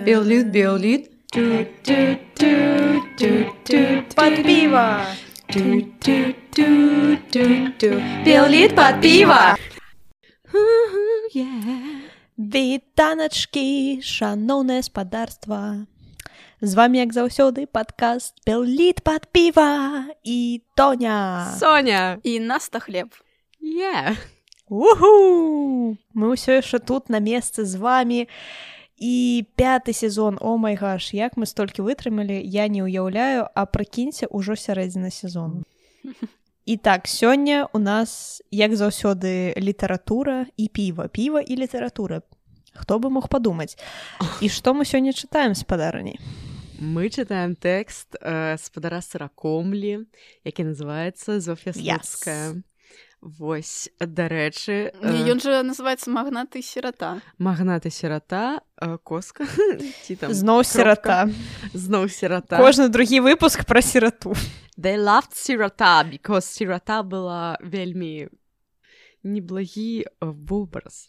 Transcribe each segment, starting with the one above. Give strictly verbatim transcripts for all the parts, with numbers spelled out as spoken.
Беллит, беллит. Под пиво. Беллит под пиво. Вітаначкі, шаноўнае спадарства. З вами, як заўсёды, падкаст «Беллит под пиво» і Тоня. Соня. І Наста Хлеб. Yeah. Уху! Мы ўсё яшчэ тут на месцы з вами. І пяты сезон, о май гаш, як мы столькі вытрымалі, я не ўяўляю, а прыкіньце, ўжо сярэдзіна сезону. І так, сёння у нас, як заўсёды, літаратура і піва. Піва і літаратура. Хто бы мог падумаць? І што мы сёння чытаем, спадарыні? Мы чытаем тэкст э, спадара Сыракомлі, які называецца «Зоф'я Слуцкая». Yes. Вось, дарэчы... Э... Ён жа называецца «Магнат і сірата». Магнат і сірата, э, коска. Зноў сірата. Зноў сірата. Кожны другі выпуск пра сірату. They loved сірата, because сірата была вельмі неблагі вобраз.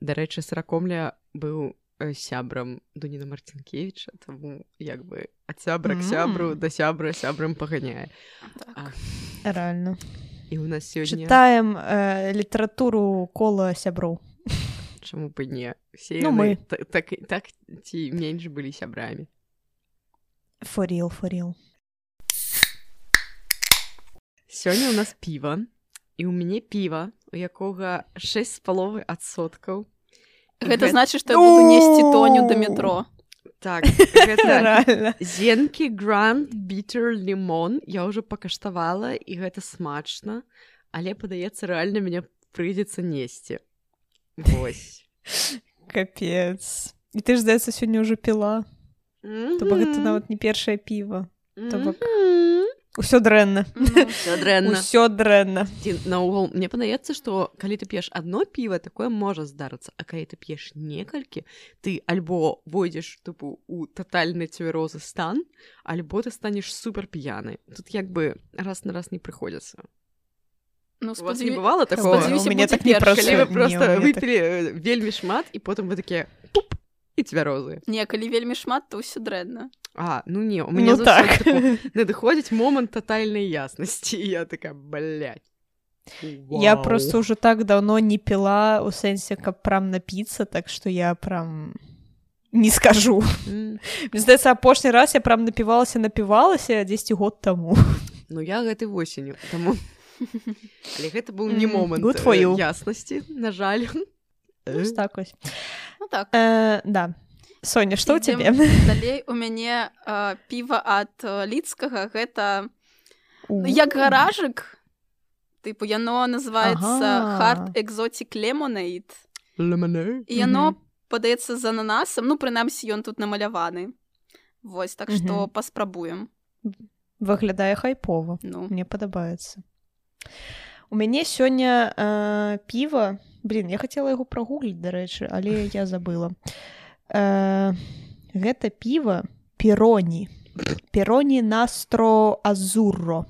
Дарэчы, Сыракомля быў сябрам Дуніна Марцінкевіча, таму як бы ад сябра к сябру да сябра сябрам паганяе. Так. Рэальна. І у нас сёння... Чытаем э, літаратуру кола сяброў. Чаму бы не? Все ну, мы. Так, так, так ці менш былі сябрамі. For real, for real. Сёння у нас піва. І ў мяне піва, у якога шэсць з паловай адсоткаў. Гэта значыць, што я буду несці Тоню да метро. Так, гэта Зенкі Grand Bitter Lemon. Я ўжо пакаштавала, і гэта смачна, але, падаецца, рэальна мяне прыйдзецца несці. Вось. Капец. І ты ж, здаецца, сёння ўжо піла. Mm-hmm. То бок гэта нават не першае піва. Mm-hmm. То бок... Усё дрэнна. Усё дрэнна. Усё дрэнна. Наогул, мне падаецца, што калі ты п'еш адно піва, такое можа здарыцца, а калі ты п'еш некалькі, ты альбо войдзеш тыпу у татальны цвярозы стан, альбо ты станеш супер п'яны. Тут як бы раз на раз не прыходзіцца. Ну, у вас не бывало такого? У мяне так не працуе. Калі вы проста выпілі так... вельмі шмат, і потым вы такія пуп, і цвярозы. Не, калі вельмі шмат, то ўсё дрэнна. А, ну не, у меня ну так. Типу, надыходзіць момант тотальнай яснасці, і я такая, блядь. Вау. Я просто уже так давно не пила, у сэнсе, каб прям напіцца, так что я прям не скажу. Mm. Мне здаецца, апошні раз я прям напівалася, напівалася дзесьці год таму. Ну я гэтай восенню, таму... Але гэта быў не момант mm, яснасці, на жаль. Ну, так вось. Ну так. Э, да. Соня, што ў цябе? Далей у мяне э, піва ад э, Лідскага, гэта uh. як гаражык. Тыпу, яно называецца ага. Hard Exotic Lemonade. Lemonade? І яно mm-hmm. падаецца з ананасам, ну, прынамсі, ён тут намаляваны. Вось, так што mm-hmm. паспрабуем. Выглядае хайпова. Ну. Мне падабаецца. У мяне сёння э, піва... Блін, я хацела яго прагугліць, дарэчы, але я забыла. Uh, гэта піва Пероні. Пероні Настро Азурро.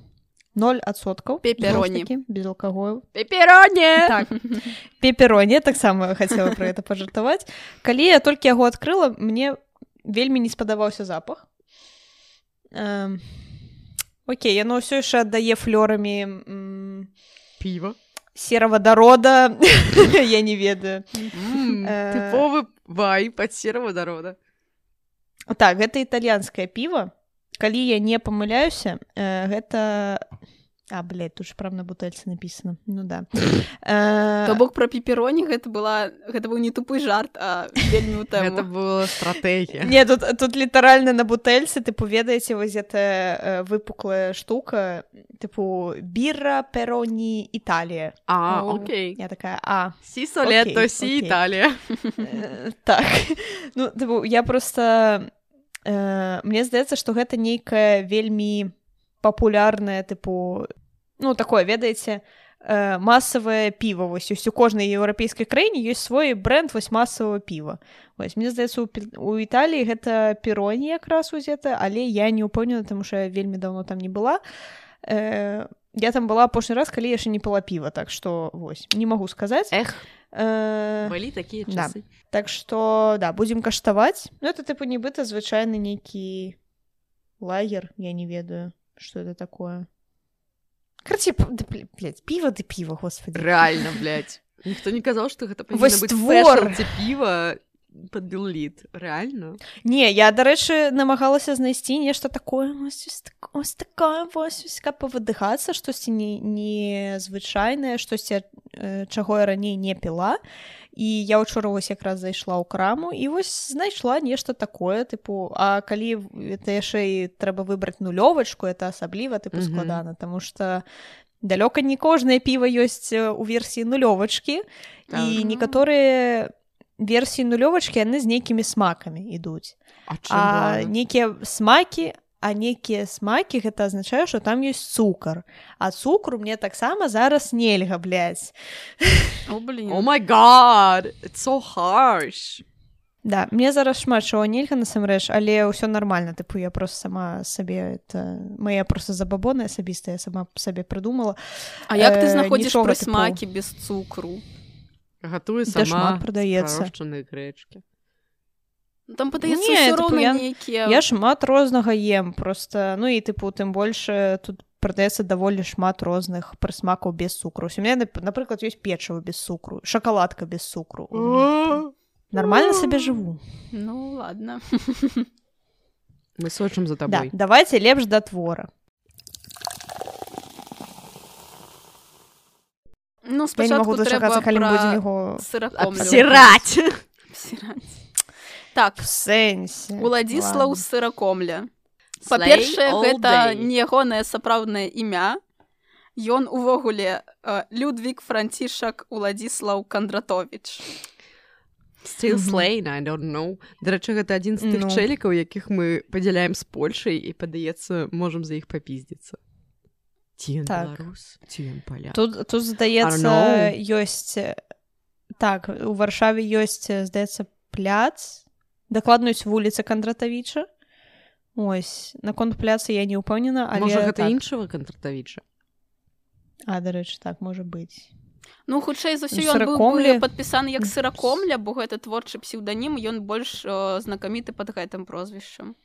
ноль адсоткаў. Пепероні. Без алкаголю. Пепероні! Так. Пепероні, так само хацела пра гэта пажартаваць. Калі я толькі яго адкрыла, мне вельмі не спадабаўся запах. Uh, окей, яно ўсё яшчэ аддае флёрамі м- піва. Сераводорода, я не ведаю. Mm, тыповы вайб ад сераводорода. Так, гэта італьянскае піва. Калі я не памыляюся, гэта... А, блядь, тут ж прям на бутэльцы напісана. Ну да. То бок пра пепероні гэта была... Гэта быў не тупы жарт, а вельмі ў тэму. Гэта была стратэгія. Не, тут, тут літаральна на бутэльцы, тыпу, ведаеце, вось гэтая выпуклая штука, тыпу, бірра, пероні, Італія. А, окей. Я такая, а. Сі солетто, сі Італія. Так. Ну, тыпу, я проста... Мне здаецца, што гэта нейкая вельмі папулярнае, тыпу, ну, такое, ведаеце, э, масавае піва. Вось, у кожнай еўрапейскай краіне ёсць свой брэнд вось масавага піва. Вось, мне здаецца, у, у Італіі гэта Пероні якраз узета, але я не ўпэўнена, таму што я вельмі даўно там не была. Э, я там была апошні раз, калі яшчэ не піла піва, так што вось не магу сказаць. Эх, э... былі такія да. часы. Так што да, будзем каштаваць. Ну это тыпу нібыта звычайны нейкі лагер, я не ведаю, што это такое. Карці, блядь, піва ды піва, господи. Реально, блядь. Ніхто не казаў, што гэта павінна Вось быць твор. спешалці піва пад Белліт. Реально? Не, я, дарэчы, намагалася знайсці нешта такое, ось, ось такое, ось, ось, каб павыдыхацца, штосьці незвычайнае, штосьці, чаго я раней не піла. І я ўчора вось якраз зайшла ў краму і вось знайшла нешта такое, тыпу, а калі это яшчэ і трэба выбраць нулёвачку, это асабліва, тыпу, mm-hmm. складана, таму што далёка не кожнае піва ёсць у версіі нулёвачкі, mm-hmm. і некаторыя версіі нулёвачкі, яны з нейкімі смакамі ідуць. А, а нейкія смакі, а нейкія смакі, гэта азначае, што там ёсць цукар. А цукру мне таксама зараз нельга, блядь. О, блин. О май гад, it's so harsh. Да, мне зараз шмат чаго нельга насамрэч, але ўсё нармальна, тыпу я просто сама сабе, это мая просто забабона асабістая, я сама сабе прыдумала. А як ты знаходзіш прысмакі без цукру? Гатую сама. Да шмат прадаецца. Спарошчаныя грэчкі. Там падаецца ўсё роўна я, нейкія. Я шмат рознага ем, просто, ну і тыпу, тым больш тут прадаецца даволі шмат розных прысмакаў без цукру. У мяне, напрыклад, ёсць печыва без цукру, шакаладка без цукру. Нормально сабе жыву. Ну, ладно. Мы сочым за табой. Да, давайте лепш да твора. Ну, спачатку трэба пра сыракомлю. Абсіраць! Абсіраць. Так, в сэнсе. Уладзіслаў Сыракомля. Па-першае, гэта не ягонае сапраўднае імя. Ён увогуле Людвік Францішак Уладзіслаў Кандратовіч. Still slain, I don't know. Дарэчы, гэта адзін з тых чэлікаў, якіх мы падзяляем з Польшай і, падаецца, можам за іх папіздзіцца. Ці ён беларус, ці ён паляк. Тут, тут здаецца, ёсць... Так, у Варшаве ёсць, здаецца, пляц. Дакладна ёсць вуліца Кандратавіча. Ось, наконт пляца я не ўпэўнена, але... Можа, гэта так. іншага Кандратавіча? А, дарэчы, так, можа быць. Ну, хутчэй за ўсё, ён быў бы падпісаны як Сыракомля, бо гэта творчы псеўданім, ён больш о, знакаміты пад гэтым прозвішчам.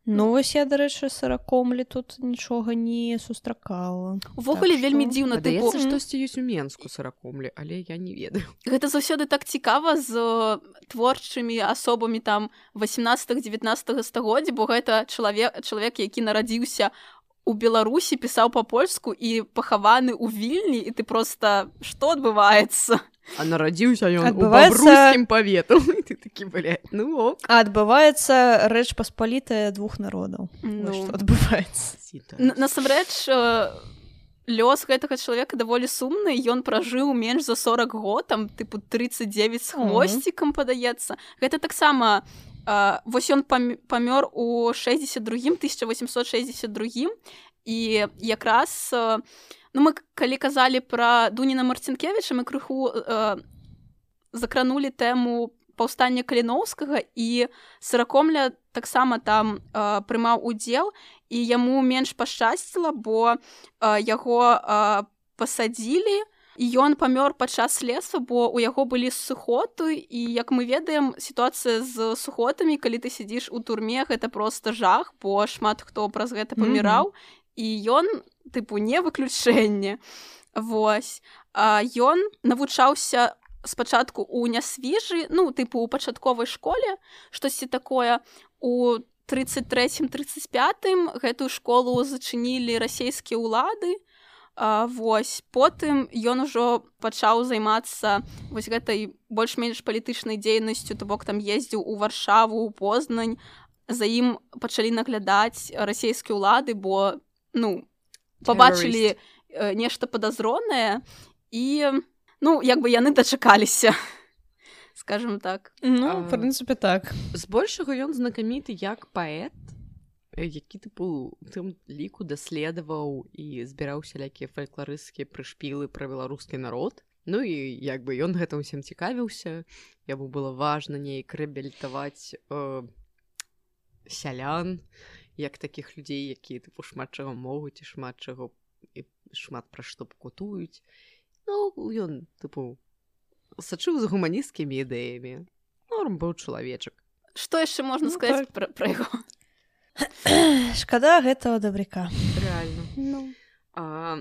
Ну, вось я, дарэчы, Сыракомлі тут нічога не сустракала. Увогуле так, вельмі дзіўна. Падаецца, тыпу... штосьці ёсць у Менску Сыракомлі, але я не ведаю. Гэта заўсёды так цікава з творчымі асобамі там васемнаццатага-дзевятнаццатага стагоддзя, бо гэта чалавек, чалавек, які нарадзіўся у Беларусі, пісаў па-польску і пахаваны ў Вільні, і ты проста, што адбываецца? А нарадзіўся ён адбываецца... у бабруйскім павету. І ты такі, блядь, ну ок. А адбываецца рэч паспалітая двух народаў. Ну, што адбываецца. Насамрэч, лёс гэтага чалавека даволі сумны, ён пражыў менш за сорак год, там, тыпу, тридцать девять з хвосцікам, падаецца. Гэта таксама... Uh, вось ён памёр у шэсцьдзесят другім тысяча восемьсот шэсцьдесят другім, і якраз uh, ну, мы калі казалі пра Дуніна Марцінкевіча, мы крыху uh, закранулі тэму паўстання Каліноўскага, і Сыракомля таксама там uh, прымаў удзел, і яму менш пашчасціла, бо uh, яго uh, пасадзілі, і ён памёр падчас следства, бо ў яго былі сухоты, і, як мы ведаем, сітуацыя з сухотамі, калі ты сядзіш у турме, гэта проста жах, бо шмат хто праз гэта паміраў, mm-hmm. і ён, тыпу, не выключэнне. Вось. А ён навучаўся спачатку ў Нясвіжы, ну, тыпу, у пачатковай школе, штосьці такое. У тридцать третьем тридцать пятым гэтую школу зачынілі расійскія ўлады. Uh, вось, потым ён ужо пачаў займацца вось гэтай больш-менш палітычнай дзейнасцю, то бок там ездзіў у Варшаву, у Познань, за ім пачалі наглядаць расійскія ўлады, бо, ну, пабачылі uh, нешта падазронае, і, ну, як бы яны дачакаліся, скажем так. Ну, uh, в прынцыпе, так. Збольшага ён знакаміты як паэт, які, тыпу, тым ліку даследаваў і збіраў сялякія фалькларысцкія прышпілы пра беларускі народ. Ну і як бы ён гэтым усім цікавіўся, яму было важна неяк рэабілітаваць э, сялян, як такіх людзей, якія, тыпу, шмат чаго могуць і шмат чаго і шмат пра што пакутуюць. Ну, ён, тыпу, сачыў за гуманісцкімі ідэямі. Норм быў чалавечак. Што яшчэ можна Ну, сказаць так. пра, пра яго? Шкада гэтага дабряка. Рэальна. Ну. А,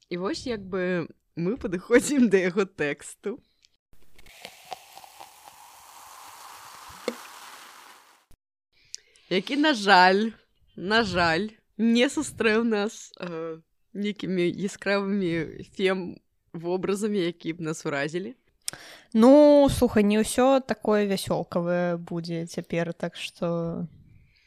і вось як бы мы падыходзім да яго тэксту. Які, на жаль, на жаль, не сустрэў нас э, нейкімі яскравымі фем-вобразамі, які б нас уразілі. Ну, слухай, не ўсё такое вясёлкавае будзе цяпер, так што...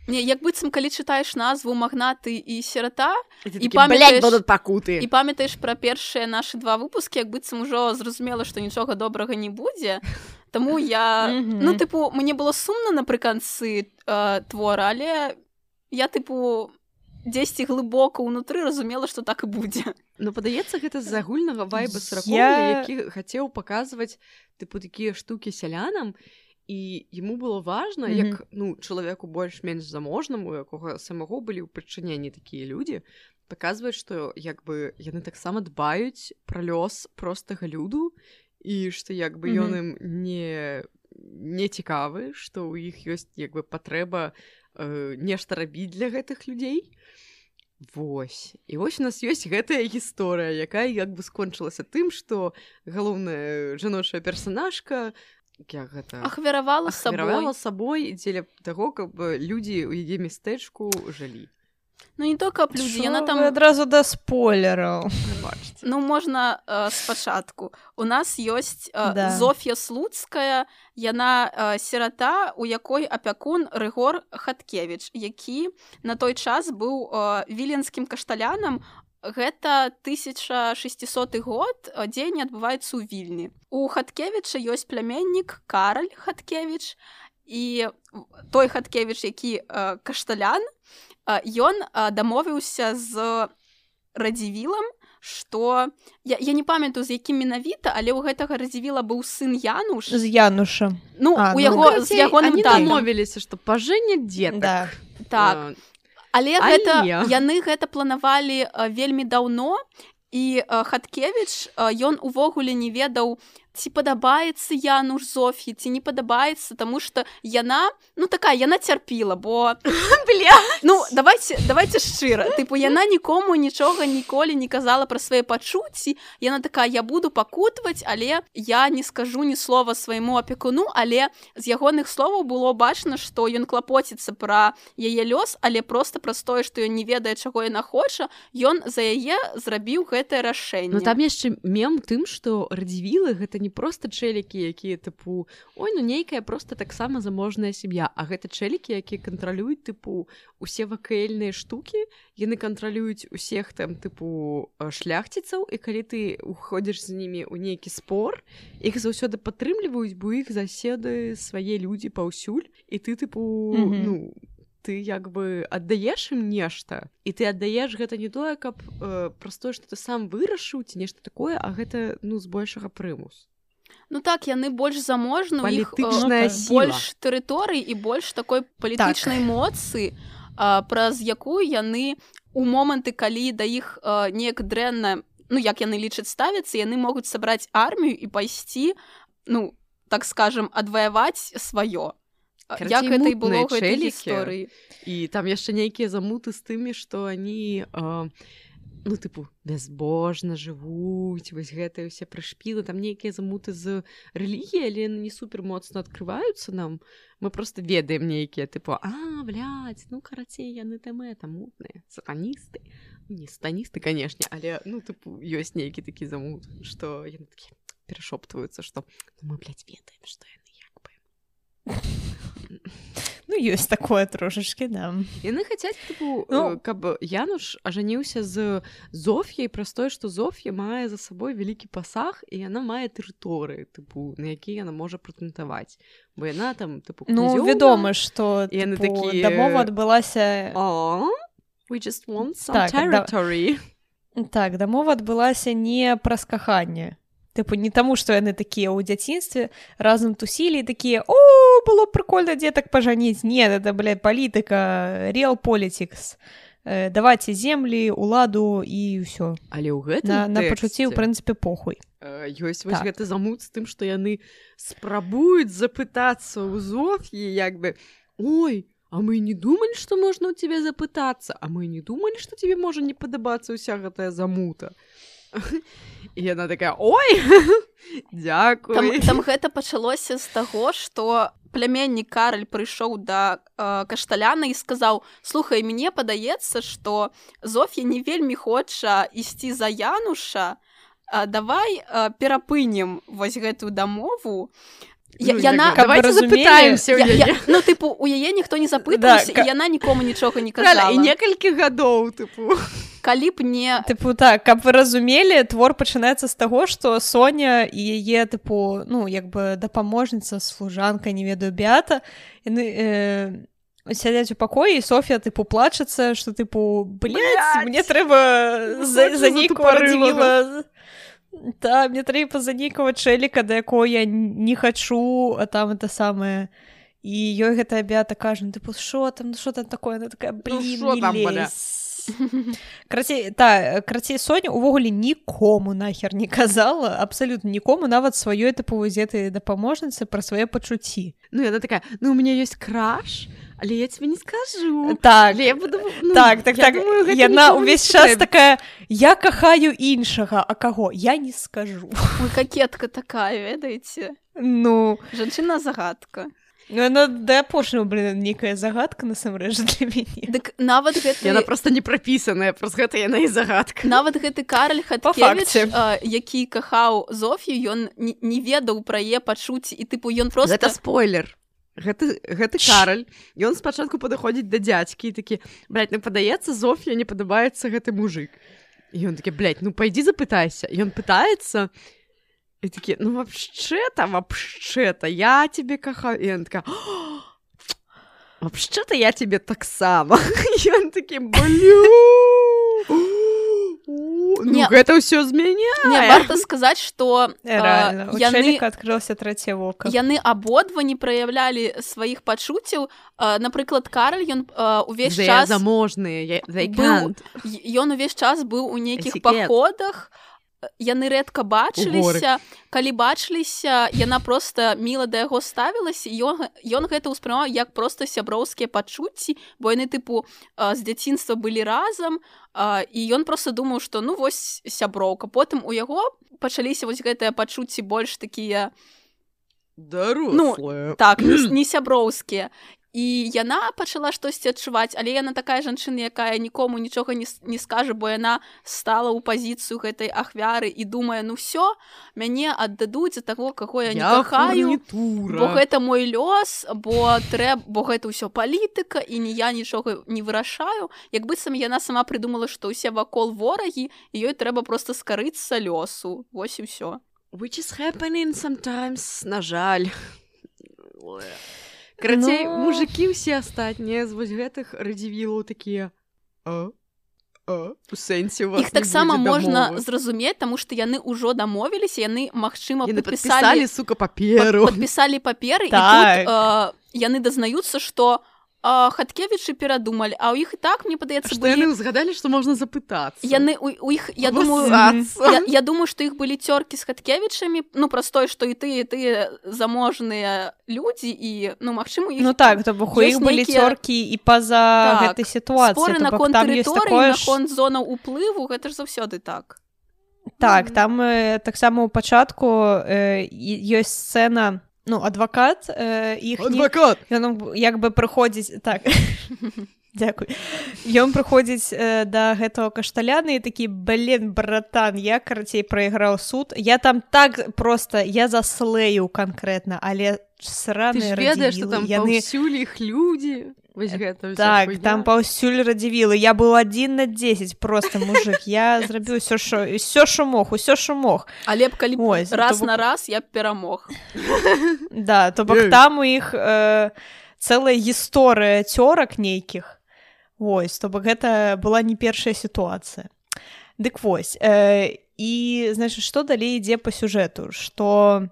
Не, як быццам, калі чытаеш назву «Магнаты» і «Сірата», І, і такі, памятаеш, блядь, будут пакуты. і памятаеш пра першыя нашы два выпускі, як быццам ужо зразумела, што нічога добрага не будзе. Таму я... Мгм. Ну, тыпу, мне было сумна напрыканцы э, твора, але я, тыпу, дзесьці глыбока ўнутры разумела, што так і будзе. Ну, падаецца, гэта з агульнага вайба Саракоўля, Я- які хацеў паказваць, тыпу, такія штукі сялянам, і яму было важна, Мгм. як, ну, чалавеку больш-менш заможнаму, у якога самого былі ў прычыненні такія людзі, паказваць, што, як бы, яны таксама дбаюць пра лёс простага люду, і што, як бы, ён ім не, не цікавы, што ў іх ёсць, як бы, патрэба э, нешта рабіць для гэтых людзей. Вось. І вось у нас ёсць гэтая гісторыя, якая, як бы, скончылася тым, што галоўная жаночая персанажка, як гэта... Ахвяравала сабой. ахвяравала сабой дзеля таго, каб людзі ў яе мястэчку жылі. Ну, не толькі аб людзі, яна там... Вы адразу да спойлераў. Бачыце. Ну, можна э, спачатку. У нас ёсць э, Да. Зоф'я Слуцкая, яна э, сірата, у якой апякун Рыгор Хаткевіч, які на той час быў э, віленскім кашталянам. Гэта тысяча шэсцісоты год, э, дзень адбываецца ў Вільні. У Хаткевіча ёсць пляменнік Караль Хаткевіч, і той Хаткевіч, які э, кашталян, э, ён э, дамовіўся з Радзівілам, што... Я, я не памятаю, з якім менавіта, але ў гэтага Радзівіла быў сын Януш. З Януша. Ну, А, у ну, яго, з ягоным Они татам. дамовіліся, што пажэняць дзетак. Да. Так. Э, Але, Але- гэта, яны гэта планавалі э, вельмі даўно, і э, Хаткевіч, э, ён увогуле не ведаў, ці падабаецца Януш Зоф'і, ці не падабаецца, таму што яна, ну такая, яна цярпіла, бо... Бля! Ну, давайте, давайте шчыра. Тыпу, яна нікому нічога ніколі не казала пра свае пачуцці. Яна такая, я буду пакутваць, але я не скажу ні слова свайму апекуну, але з ягоных словаў было бачна, што ён клапоціцца пра яе лёс, але проста праз тое, што ён не ведае, чаго яна хоча, ён за яе зрабіў гэтае рашэнне. Ну, там яшчэ мем тым, што Радзівілы гэта не проста чэлікі, якія, тыпу, ой, ну нейкая проста таксама заможная сям'я, а гэта чэлікі, якія кантралююць, тыпу, усе вакэйльныя штукі, яны кантралююць усіх там, тыпу, шляхціцаў, і калі ты уходзіш з імі ў нейкі спор, іх заўсёды падтрымліваюць, бо іх заседы свае людзі паўсюль, і ты, тыпу, Мгм. ну, ты як бы аддаеш ім нешта, і ты аддаеш гэта не тое, каб э, праз тое, што ты сам вырашыў ці нешта такое, а гэта, ну, збольшага прымус. Ну так, яны больш заможны, у іх Палітычная э, сіла. больш тэрыторый і больш такой палітычнай моцы, а, праз якую яны у моманты, калі да іх а, неяк дрэнна, ну як яны лічаць ставяцца, яны могуць сабраць армію і пайсці, ну, так скажем, адваяваць сваё. Карацей, Як гэта і мутныя было ў гэтай чэлікі. гісторыі. І там яшчэ нейкія замуты з тымі, што они, э, ну, тыпу, бязбожна жывуць, вось гэтыя ўсе прышпілы, там нейкія замуты з рэлігіяй, але яны не супер моцна адкрываюцца нам. Мы просто ведаем нейкія, тыпу, а, блядь, ну, карацей, яны там это, мутныя, сатаністы. Не сатаністы, канешне, але, ну, тыпу, ёсць нейкі такі замут, што яны такі перашоптваюцца, што ну, мы, блядь, ведаем, што яны як бы... Ну, ёсць такое трошачкі, да. Яны хацяць, тыпу, Ну. ну, каб Януш ажаніўся з Зоф'яй праз тое, што Зоф'я мае за сабой вялікі пасаг, і яна мае тэрыторыі, тыпу, на якія яна можа прэтэндаваць. Бо яна там, тыпу, Ну, князёўна. вядома, што І яны тыпу, такія- дамова адбылася... О, we just want some Так, да. territory. Так, дамова адбылася не праз каханне. Тыпу, не таму, што яны такія ў дзяцінстве разам тусілі і такія, о, было б прикольна дзетак пажаніць. Не, это, блядь, палітыка, real politics. э, давайце землі, уладу і ўсё. Але ў гэтым На, на тэксце, пачуцці, ў прынцыпе, похуй. э, ёсць вось Так. гэты замут з тым, што яны спрабуюць запытацца ў Зоф'і, як бы, ой, а мы не думалі, што можна ў цябе запытацца, а мы не думалі, што тебе можа не падабацца ўся гэтая замута. І яна такая, ой, дзякуй. Там, там гэта пачалося з таго, што пляменнік Караль прыйшоў да э, Кашталяна і сказаў: слухай, мне падаецца, што Зоф'я не вельмі хоча ісці за Януша, а давай э, перапынем вось гэтую дамову. Я, Ну, яна... як бы, давайте разумелі, запытаемся ў Я, яе. я, ну, тыпу, у яе ніхто не запытаўся, Да, і яна нікому нічога не Правильно, казала. і некалькі гадоў, тыпу. Калі б не... Тыпу так, каб вы разумелі, твор пачынаецца з таго, што Соня і яе, тыпу, ну, як бы дапаможніца, служанка, не ведаю, Беата, яны э, сядзяць у пакоі, і Соф'я, тыпу, плачацца, што, тыпу, блядь, Блядь, мне трэба за, хочу за за нейкого тупорылага. радзівіла... Та, мне трэба за нейкага чэліка, да якого я не хачу, а там это самае... І ёй гэтая Беата кажа, ну, тыпу, шо там, ну, шо там такое? Она такая, блин, шо не там, бля? лезь. Крацей, та, крацей Соня увогуле нікому нахер не казала, абсалютна нікому, нават сваёй тыпу гэтай дапаможніцы пра свае пачуцці. Ну, яна такая, ну, у меня есть краш, але я тебе не скажу. Так, Але я буду... Ну, так, так, я так. думаю, гэта Яна нікому не ўвесь час трэба. такая, я кахаю іншага, а каго? Я не скажу. Ой, какетка такая, ведаеце? Ну, Жанчына-загадка. ну яна да апошняга, блин, нейкая загадка насамрэч для мяне. Дык нават гэты... Яна просто не прапісаная, праз гэта яна і загадка. Нават гэты Караль Па Хаткевіч, факце. а, які кахаў Зоф'ю, ён не, не ведаў пра яе пачуцці, і тыпу ён просто... Гэта спойлер. Гэты, гэты Караль, ён спачатку падыходзіць да дзядзькі і такі, блядь, ну падаецца, Зоф'я не падабаецца гэты мужик. І ён такі, блядь, ну пайдзі запытайся. І ён пытаецца, і такі, ну вообще-то, вообще-то, я тебе кахаю. І ён такая, вообще-то я тебе таксама. І ён такі, блю. Ну, Не. гэта ўсё змяняе. Не, варта сказаць, што Реально, у яны... чэліка адкрылася трэцяе вока. Яны абодва не праяўлялі сваіх пачуццяў. А, напрыклад, Караль, ён а, увесь They час... are заможныя, they быў- can't. Ён увесь час быў у нейкіх Этикет. паходах, яны рэдка бачыліся. Калі бачыліся, яна проста міла да яго ставілася, ён, ён гэта ўспрымаў як проста сяброўскія пачуцці, бо яны, тыпу, а, з дзяцінства былі разам, а, і ён проста думаў, што ну вось сяброўка. Потым у яго пачаліся вось гэтыя пачуцці больш такія, Дарослая. так, не, не сяброўскія. І яна пачала штосьці адчуваць, але яна такая жанчына, якая нікому нічога не, с- не скажа, бо яна стала ў пазіцыю гэтай ахвяры і думае, ну ўсё, мяне аддадуць за таго, каго я не Я кахаю, фурнітура. бо гэта мой лёс, бо трэб, бо гэта ўсё палітыка, і не я нічога не вырашаю. Як быццам яна сама прыдумала, што ўсе вакол ворагі, і ёй трэба проста скарыцца лёсу. Вось і ўсё. Which is happening sometimes, на жаль. Карацей, Ну. мужикі ўсе астатнія з вось гэтых радзівілаў такія, а? А? У сэнсе у вас Іх не таксама будзе можна дамовы? зразумець, таму што яны ўжо дамовіліся, яны, магчыма, Яны падпісалі, падпісалі, сука, паперу. падпісалі паперы, і Так. тут э, яны дазнаюцца, што э, Хаткевічы перадумалі, а ў іх і так, мне падаецца, Што яны былі... ўзгадалі, што можна запытацца. Яны, у, у іх, я думаю, Абассацца. я, я думаю, што іх былі цёркі з Хаткевічамі, ну, праз тое, што і тыя, і тыя заможныя людзі, і, ну, магчыма, у іх... Ну так, то бок у іх ёсць былі нейкія- цёркі і па-за Так, гэтай сітуацыі. споры То бок наконт там ёсць тэрыторыі, такое ж- наконт зонаў уплыву, гэта ж заўсёды так. Так, там э, таксама ў пачатку э, і- ёсць сцэна, ну, адвакат э, іхні. Адвакат! Ён як бы прыходзіць, так, дзякуй. Ён прыходзіць э, да гэтага Кашталяна і такі, блин, братан, я, карацей, прайграў суд. Я там так проста, я заслею канкрэтна, але Ты сраныя ж ведаеш, што радзівілы, там яны... паўсюль іх людзі. Вось гэта ўся Так, хуйня. там паўсюль радзівілы. Я быў адзін на дзесяць, просто, мужик. Я зрабіў усё, што, усё, што мог, усё, што мог. Але б калі б Ой, раз то бок- на раз я б перамог. Да, то бок Ей. там у іх э, цэлая гісторыя цёрак нейкіх. Вось, то бок гэта была не першая сітуацыя. Дык вось. Э, і, значит, што далей ідзе па сюжэту? Што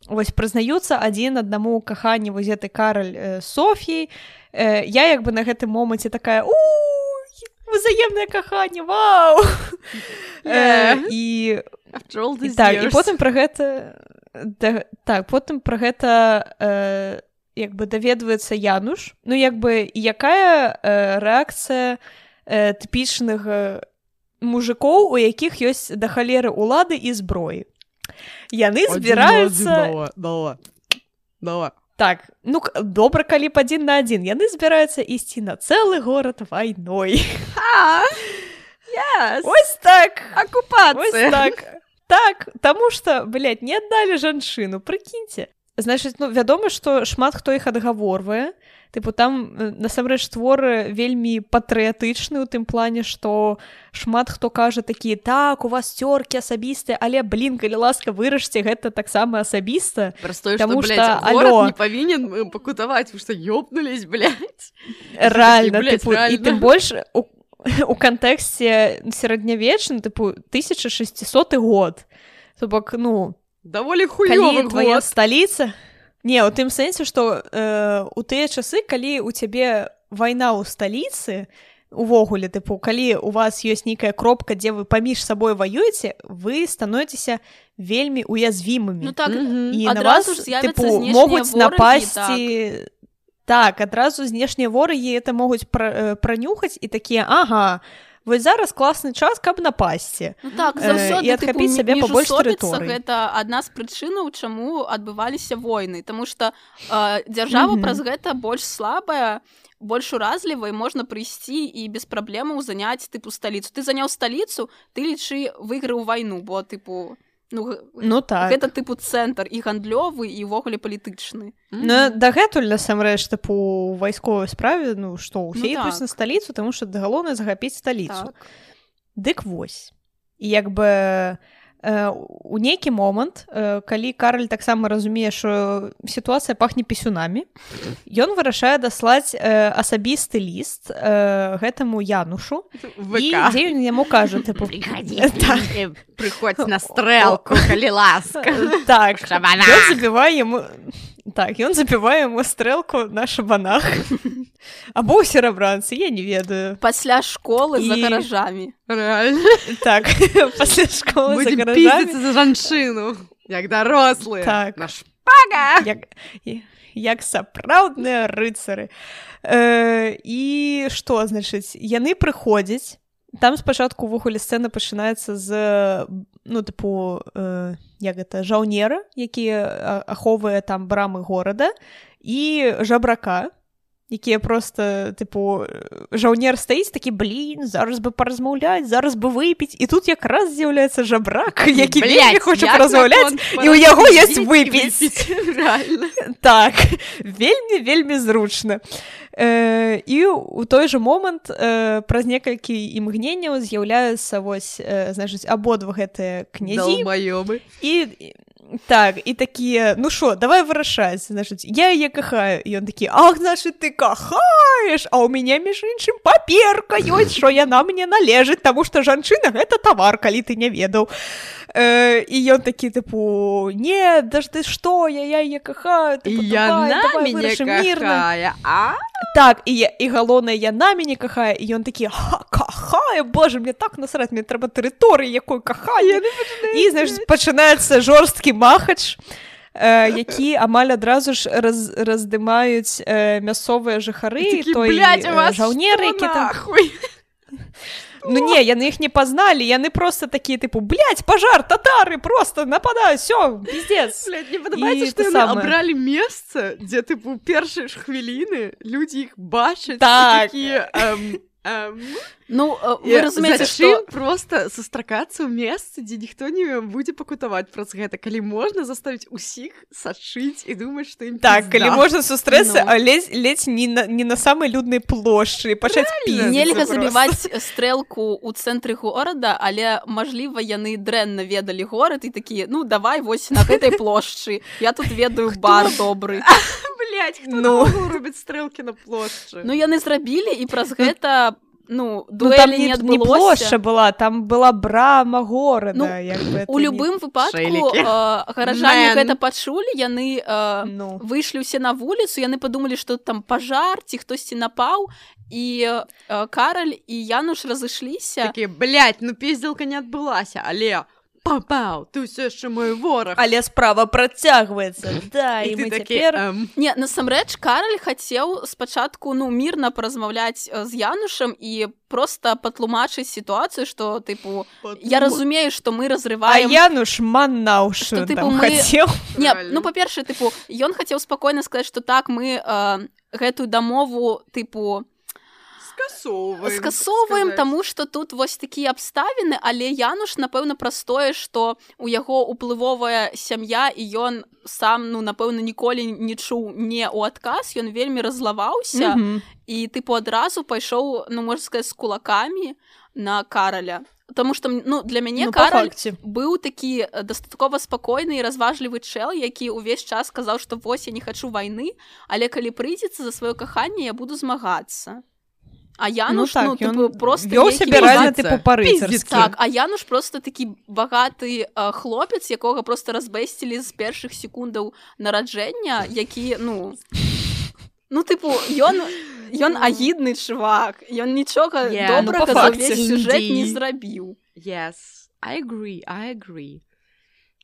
вось прызнаюцца адзін аднаму ў каханні вось гэты Караль э, Соф'яй. Э, я як бы на гэтым моманце такая: у, узаемнае каханне, вау! Yeah. І, After all these і так, years. і потым пра гэта да, так, потым пра гэта э, як бы даведваецца Януш. Ну, як бы, якая э, рэакцыя э, тыпічных э, мужикоў, у якіх ёсць да халеры улады і зброі. Яны збіраюцца... Дала, дала. Так, ну, добра, калі б адзін на адзін. Яны збіраюцца ісці на цэлы горад вайной. А, yes. Ось так! Оккупацыя. Ось так. Так, таму што, блядь, не аддалі жанчыну, прыкіньце. Значыць, ну, вядома, што шмат хто іх адгаворвае. Тыпу, там, насамрэч, творы вельмі патрыятычны ў тым плане, што шмат хто кажа такія, так, у вас цёркі асабістыя, але, блін, калі ласка, вырашце, гэта таксама асабіста. Простое, Таму што, што, блядь, алё, горад не павінен пакутаваць, вы што, ёбнулись, блядь? Рэальна, Блядь, тыпу, реально. і тым больш у, у кантэксце сярэднявечным, тыпу, тысяча шэсцісоты год. То бок, ну, даволі хуёвы калі твоя год. сталіца... Не, у тым сэнсе, што э, у тыя часы, калі у цябе вайна ў сталіцы, увогуле, тыпу, калі у вас ёсць нейкая кропка, дзе вы паміж сабой ваюеце, вы становіцеся вельмі уязвімымі. Ну так, Мгм. І на адразу вас, ж з'явяцца тыпу, знешнія могуць ворагі, напасці... Так, адразу знешнія ворагі это могуць пра, пранюхаць і такія, ага, вось зараз класны час, каб напасці. Ну так, Э, заўсёды, і адхапіць сабе пабольш тэрыторый. гэта адна з прычынаў, чаму адбываліся войны, таму што э, дзяржава Мгм. праз гэта больш слабая, больш уразлівая, можна прыйсці і без праблемаў заняць, тыпу, сталіцу. Ты заняў сталіцу, ты, лічы, выйграў вайну, бо, тыпу, ну, г- Ну так. гэта, тыпу, цэнтр і гандлёвы, і ўвогуле палітычны. Ну, дагэтуль, насамрэч, тыпу, у вайсковай справе, ну, што, усе Ну, ідуць так. на сталіцу, таму што галоўнае захапіць сталіцу. Так. Дык вось. І як бы э, у нейкі момант, э, калі Караль таксама разумее, што сітуацыя пахне пісюнамі, ён вырашае даслаць э, асабісты ліст э, гэтаму Янушу, і ВК. дзе ён яму кажа, тыпу... Так. Прыходзь на стрэлку, калі ласка. Так, Шабанах. ён забівае яму... Так, ён забівае яму стрэлку на шабанах. Або ў серабранцы, я не ведаю. Пасля школы за І- гаражамі. Реально. Так, пасля школы за Будем гаражамі. пиздиться за жанчыну, як дарослыя. Так. На шпага. Як, як сапраўдныя рыцары. Э, і што, значыць, яны прыходзяць, там спачатку ўвогуле сцэна пачынаецца з, ну, тыпу, э, як гэта, жаўнера, які а- ахоўвае там брамы горада, і жабрака, якія просто, тыпу, жаўнер стаіць такі, блін, зараз бы паразмаўляць, зараз бы выпіць, і тут якраз з'яўляецца жабрак, які вельмі хоча паразмаўляць, і ў яго ёсць выпіць. Реально. Так, вельмі-вельмі зручна. Э, і ў той жа момант э, праз некалькі імгненняў з'яўляюцца вось, э, значыць, абодва гэтыя князі. Долбоёбы. І так, і такія, ну шо, давай вырашаць, значыць, я яе кахаю. І ён такі, ах, значыць, ты кахаеш, а ў мяне, між іншым, паперка ёсць, што яна мне належыць, таму што жанчына — гэта тавар, калі ты не ведаў. Э, і ён такі, тыпу, не, да ж ты што, я, я яе кахаю, тыпу, І давай, яна давай мяне вырашым мірна. кахае, а? Так, і, я- і галоўнае, яна мяне кахае, і ён такі, ха, кахае, боже, мне так насраць, мне трэба тэрыторыі, якой кахае. І, значыць, пачынаецца жорсткі махач, э, які амаль адразу ж раз, раздымаюць э, мясцовыя жыхары, Такі, той блядь, у э, вас жаўнер, што які там... нахуй? Ну не, яны іх не пазналі, яны просто такія, тыпу, блядь, пажар, татары, просто нападаюць, всё, пиздец. Блядь, мне падабаецца, І што те яны самае. абралі месца, дзе, тыпу, першыя ж хвіліны людзі іх бачаць, Так. і такія, эм, эм, Ну, э, і вы разумееце, зачым што... проста сустракацца ў месцы, дзе ніхто не будзе пакутаваць праз гэта, калі можна заставіць усіх сачыць і думаць, што ім Так, пізда. калі можна сустрэцца, Ну. а ледзь, ледзь не, на, не на самай люднай плошчы, пачаць піздзіцца Нельга просто. забіваць стрэлку ў цэнтры горада, але, мажліва, яны дрэнна ведалі горад і такія, ну, давай вось на гэтай плошчы. Я тут ведаю бар добры. Блядь, хто Ну. ну. робіць стрэлкі на плошчы? Ну, яны зрабілі, і праз гэта ну, Ну, дуэлі там не не, не адбылося. площа была, там была брама горада. Ну, як бы у любым не... выпадку Шэлікі. э, гаражане Man. гэта пачулі, яны э, Ну. выйшлі ўсе на вуліцу, яны падумалі, што там пажар ці хтосьці напаў, і э, Караль і Януш разышліся. Такія, блядь, ну пиздзелка не адбылася, але пау-пау, ты ўсё яшчэ мой вораг. Але справа працягваецца. Да, І і ты мы такі, цяпер... эм, Не, насамрэч Караль хацеў спачатку ну мірна паразмаўляць э, з Янушам і проста патлумачыць сітуацыю, што тыпу я разумею, што мы А разрываем. Януш маннаўшы Што, тыпу, там мы- хацеў. Не, Правильно. ну па-першае, тыпу ён хацеў спакойна сказаць, што так мы э, гэтую дамову тыпу скасоўваем. скасоўваем, так сказаць. таму што тут вось такія абставіны, але Януш напэўна праз тое, што у яго уплывовая сям'я і ён сам ну напэўна ніколі не чуў не ў адказ, ён вельмі разлаваўся Мгм. і тыпу адразу пайшоў ну можна сказаць з кулакамі на Караля. Таму што ну для мяне Ну, па Караль факце. быў такі э, дастаткова спакойны і разважлівы чэл, які ўвесь час сказаў, што вось я не хачу вайны, але калі прыйдзецца за сваё каханне, я буду змагацца. А Януш, ну, так, типу, ён просто вёў нейкі сябе реально, пізніца. типу, па-рыцарскі. Піздзіць. Так, а Януш просто такі багаты э, хлопец, якога просто разбэсцілі з першых секундаў нараджэння, які, ну... Ну, типу, ён, ён агідны чувак, ён нічога Yeah, ну, добрага па за факце. ўвесь сюжэт не Indeed. зрабіў. Yes, I agree, I agree.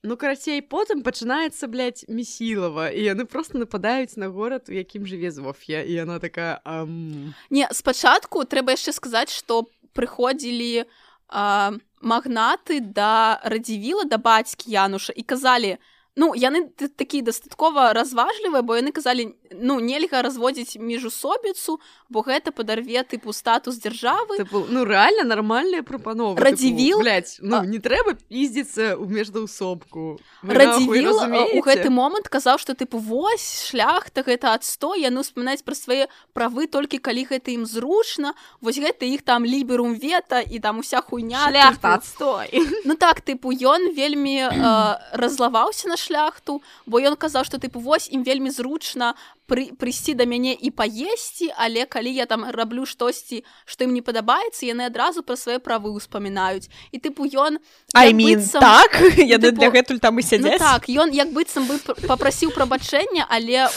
Ну, карацей, потым пачынаецца, блядь, Месілава, і яны просто нападаюць на горад, у якім жыве Зоф'я, і яна такая... Ам... Не, спачатку трэба яшчэ сказаць, што прыходзілі а, магнаты да Радзівіла, да бацькі Януша, і казалі, ну, яны т- такія дастаткова разважлівыя, бо яны казалі, ну, нельга разводзіць міжусобіцу, бо гэта падарве, тыпу, статус дзяржавы. Типу, ну, реально нормальная прапанова. Радзівіл- Типу, блядь, ну, А- не трэба пиздзіцца ў міждаўсобку. Вы нахуй Радзівіл у разумееце? гэты момант казаў, што тыпу вось шляхта гэта адстой, яны ўспамінаюць пра свае правы толькі калі гэта ім зручна, вось гэта іх там ліберум вета і там уся хуйня. Шляхта тыпу. отстой. Ну так, тыпу ён вельмі э, разлаваўся на шляхту, бо ён казаў, што тыпу вось ім вельмі зручна пры, прыйсці да мяне і паесці, але калі я там раблю штосьці, што ім не падабаецца, яны адразу пра свае правы ўспамінаюць. І тыпу ён I як mean, быццам- так? Яны типу, для гэтуль там і Ну сядзяць? так, ён як быццам бы пр- папрасіў прабачэння, але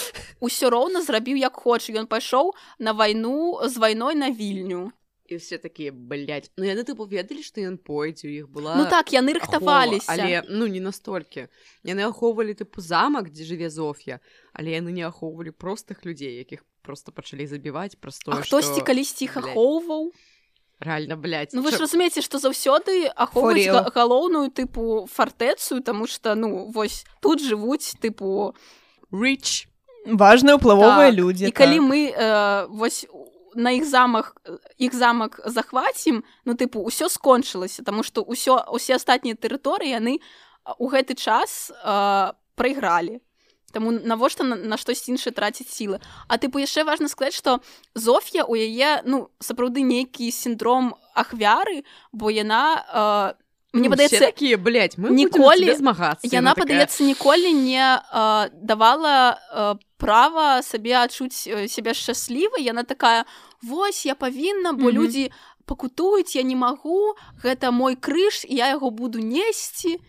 ўсё роўна зрабіў як хоча. Ён пайшоў на вайну з вайной на Вільню. І все такія, блядь. Ну, яны, типу, ведалі, што ён пойдзе, у іх была... Ну так, яны ахова, рыхтаваліся. Але, ну, не настолькі. Яны ахоўвалі, типу, замак, дзе жыве Зоф'я, але яны не ахоўвалі простых людзей, якіх просто пачалі забіваць праз тое, А хтосьці што... калісьці іх блядь, ахоўваў. Реально, блядь. Ну вы ж Чо- разумееце, што заўсёды ахоўваюць For real. га- галоўную тыпу фартэцу, таму што ну вось тут жывуць тыпу Rich. Важныя ўплывовыя так. людзі. І калі так. мы э, вось на іх замах іх замак захвацім, ну тыпу ўсё скончылася, таму што ўсё усе астатнія тэрыторыі яны у гэты час э, прайгралі. Таму навошта на, на штось іншае траціць сілы. А тыпу яшчэ важна сказаць, што Зоф'я у яе ну сапраўды нейкі сіндром ахвяры, бо яна э, мне Ну, падаецца все такія, блядь, мы ніколі- будем змагацца. яна падаецца ніколі не э, давала э, права сабе адчуць э, сябе шчаслівай. Яна такая вось я павінна, бо Мгм. людзі пакутуюць, я не магу, гэта мой крыж, і я яго буду несці.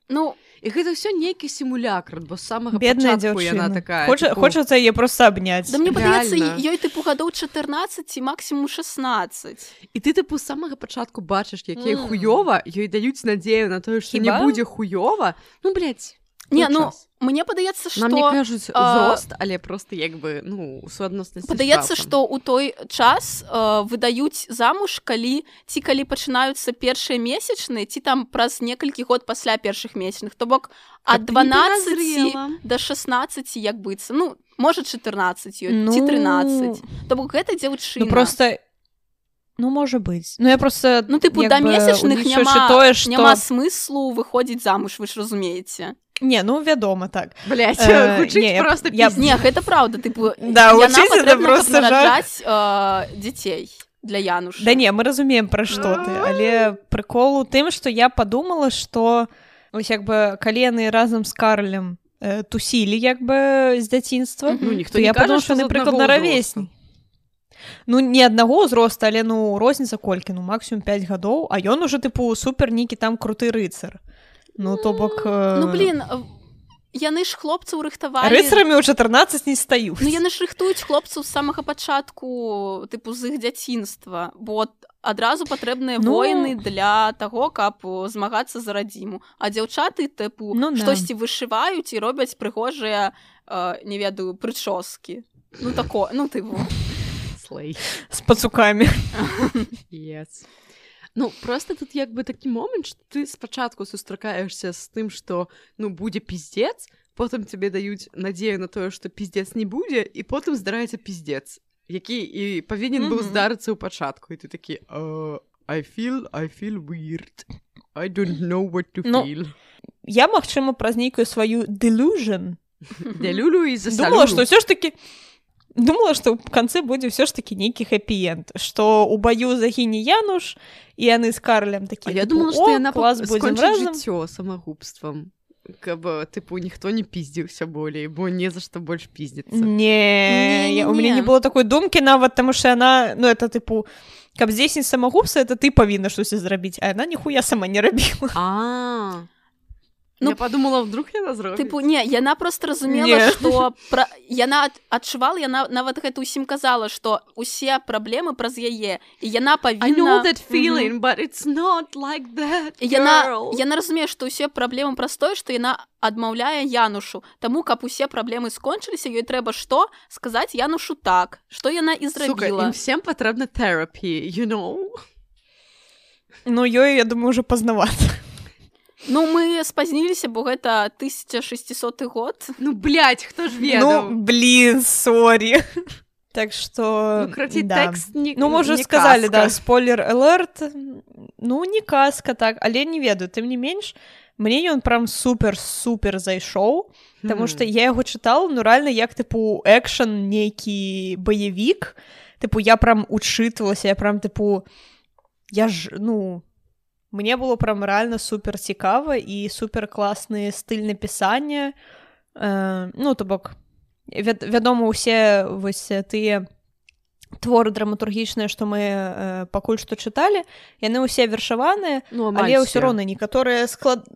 Ну І гэта ўсё нейкі сімулякр, бо з самага Бедная пачатку яна дзяўчына. такая... Хоча, типу, хочацца яе проста абняць. да мне падаецца Реально. ёй тыпу гадоў чатырнаццаць ці максімум шаснаццаць. І ты, типу, з самага пачатку бачыш, якія Мм. хуёва, ёй даюць надзею на тое, што не Хіба? будзе хуёва. Ну, блядь, Не, той ну час. мне падаецца, што Нам не кажуць а, узрост, але просто як бы, ну, у суадноснасці падаецца, з часам. што ў той час э, выдаюць замуж, калі ці калі пачынаюцца першыя месячныя, ці там праз некалькі год пасля першых месячных, то бок ад Каб ты не дванаццаці перазрела. да шаснаццаці як быцца, ну можа чатырнаццаць ёй Ну, ці трынаццаць. То бок гэта дзяўчына. Ну просто... Ну, можа быць. Ну, я просто... Ну, тыпу, як да бы, месячных улічваючы няма, тое, што... няма смыслу выходзіць замуж, вы ж разумееце. Не, ну, вядома, так. Блядь, Э, гучыць не, я- просто я- пиздец. Не, гэта праўда, тыпу, Да, яна гучыць гэта патрэбна, каб просто жах. нараджаць э, дзяцей для Януша. Да не, мы разумеем, пра што ты, але прыкол у тым, што я падумала, што ось як бы калі яны разам з Карлем э, тусілі як бы з дзяцінства, Мгм. Ну, ніхто то не я кажа, падумала, што што з напрыклад аднаго на равесні. ну не аднаго ўзроста, але ну розніца колькі, ну максімум пяць гадоў, а ён уже тыпу супер нейкі там круты рыцар. Ну то бок э... ну блин, яны ж хлопцаў рыхтавалі рыцарамі ў чатырнаццаць не стаюць. Ну яны ж рыхтуюць хлопцаў з самага пачатку тыпу з іх дзяцінства, бо адразу патрэбныя ну... воіны для таго, каб змагацца за радзіму, а дзяўчаты тыпу ну, штосьці да. Вышываюць і робяць прыгожыя э, не ведаю прычоскі, ну тако ну ты слей з пацукамі. Yes. Ну, просто тут як бы такі момент, што ты спачатку сустракаешся з тым, што, ну, будзе пиздец, потым тебе даюць надзею на тое, што пиздец не будзе, і потым здараецца пиздец, які і павінен mm-hmm. быў здарыцца ў пачатку, і ты такі uh, I feel, I feel weird. I don't know what to ну, feel. Я, магчыма, праз нейкую сваю delusion Делюлю і засалюлю. Думала, што ўсё ж такі Думала, што ў канцы будзе ўсё ж такі нейкі хэпі-энд, што ў баю загіне Януш, і яны з Карлем такі, а я думала, што яна скончыць жыццё самагубствам, каб, тыпу, ніхто не пиздзіўся болей, бо не за што больш пиздзіцца. Не, я, у мяне не было такой думкі нават, таму што яна, ну, это, тыпу, каб здзейсніць самагубства, это ты павінна штосьці зрабіць, а яна ніхуя сама не рабіла. А. Ну, я подумала, вдруг яна зробіць. Тыпу, не, яна просто разумела, што пра... яна адчувала, яна нават гэта ўсім казала, што усе праблемы праз яе, і яна павінна... I know that feeling, mm-hmm. but it's not like that, girl. Яна, яна разумее, што ўсе праблемы праз тое, што яна адмаўляе Янушу. Таму, каб усе праблемы скончыліся, ёй трэба што? Сказаць Янушу так, што яна і зрабіла. Сука, ім всем патрэбна therapy, you know? Ну, ёй, я думаю, уже пазнавата. Ну, мы спазніліся, бо гэта тысяча шэсцісоты год. Ну, блядь, хто ж ведаў? Ну, блин, сорі. Так што... Ну, краці, да. тэкст не, ну, мы уже не сказали, казка. Да, спойлер-алерт. Ну, не казка, так, але не ведаю. Тым не менш, мне ён прям супер-супер зайшоў, таму што я яго чытала, ну, рэальна, як, тыпу, экшн, нейкі баявік. Тыпу, я прям учытвалася, я прям, тыпу, я ж, ну... Мне было прям рэальна супер цікава і супер класны стыль напісання. Э, ну, то бок, вяд, вядома, усе вось тыя творы драматургічныя, што мы э, пакуль што чыталі, яны ўсе вершаваныя, ну, але ўсё роўна некаторыя склад...